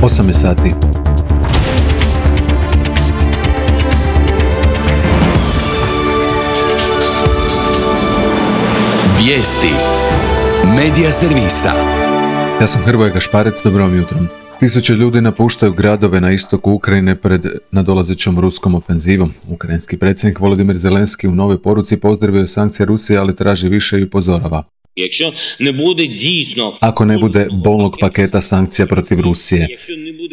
8 je sati. Vijesti Medija servisa. Ja sam Hrvoje Gašparec, dobro vam jutro. Tisuće ljudi napuštaju gradove na istoku Ukrajine pred nadolazećom ruskom ofenzivom. Ukrajinski predsjednik Volodymyr Zelenski u novoj poruci pozdravio sankcije Rusije, ali traži više i upozorava. Ako ne bude bolnog paketa sankcija protiv Rusije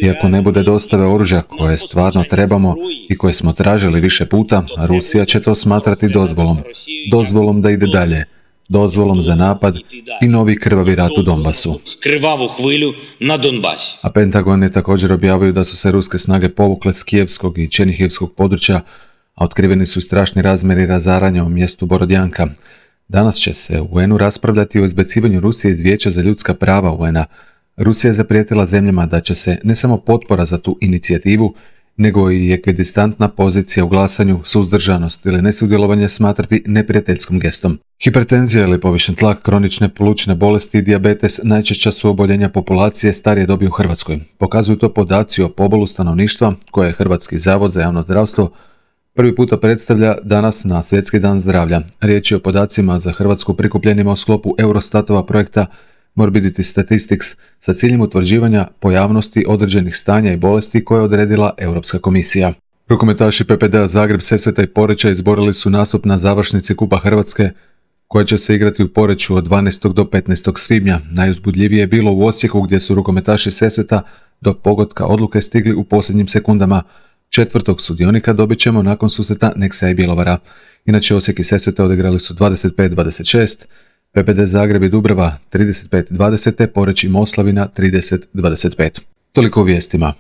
i ako ne bude dostave oružja koje stvarno trebamo i koje smo tražili više puta, Rusija će to smatrati dozvolom da ide dalje, dozvolom za napad i novi krvavi rat u Donbasu. A Pentagon je također objavio da su se ruske snage povukle s kijevskog i černihivskog područja, a otkriveni su strašni razmjeri razaranja u mjestu Borodjanka. Danas će se u UN-u raspravljati o izbacivanju Rusije iz Vijeća za ljudska prava UN-a. Rusija je zaprijetila zemljama da će se ne samo potpora za tu inicijativu, nego i ekvidistantna pozicija u glasanju, suzdržanost ili nesudjelovanje smatrati neprijateljskom gestom. Hipertenzija ili povišen tlak, kronične plućne bolesti i dijabetes najčešća su oboljenja populacije starije dobi u Hrvatskoj. Pokazuju to podaci o pobolu stanovništva koje je Hrvatski zavod za javno zdravstvo prvi puta predstavlja danas na Svjetski dan zdravlja. Riječ je o podacima za Hrvatsku prikupljenima u sklopu Eurostatova projekta Morbidity Statistics sa ciljem utvrđivanja pojavnosti određenih stanja i bolesti koje je odredila Europska komisija. Rukometaši PPD-a Zagreb, Sesveta i Poreča izborili su nastup na završnici Kupa Hrvatske koja će se igrati u Poreču od 12. do 15. svibnja. Najuzbudljivije je bilo u Osijeku gdje su rukometaši Sesveta do pogotka odluke stigli u posljednjim sekundama. Četvrtog sudionika dobit ćemo nakon susreta Neksa i Bjelovara. Inače Osijek i Sesveta odigrali su 25-26, PPD Zagreb i Dubrava 35-20, Poreč i Moslavina 30-25. Toliko u vijestima.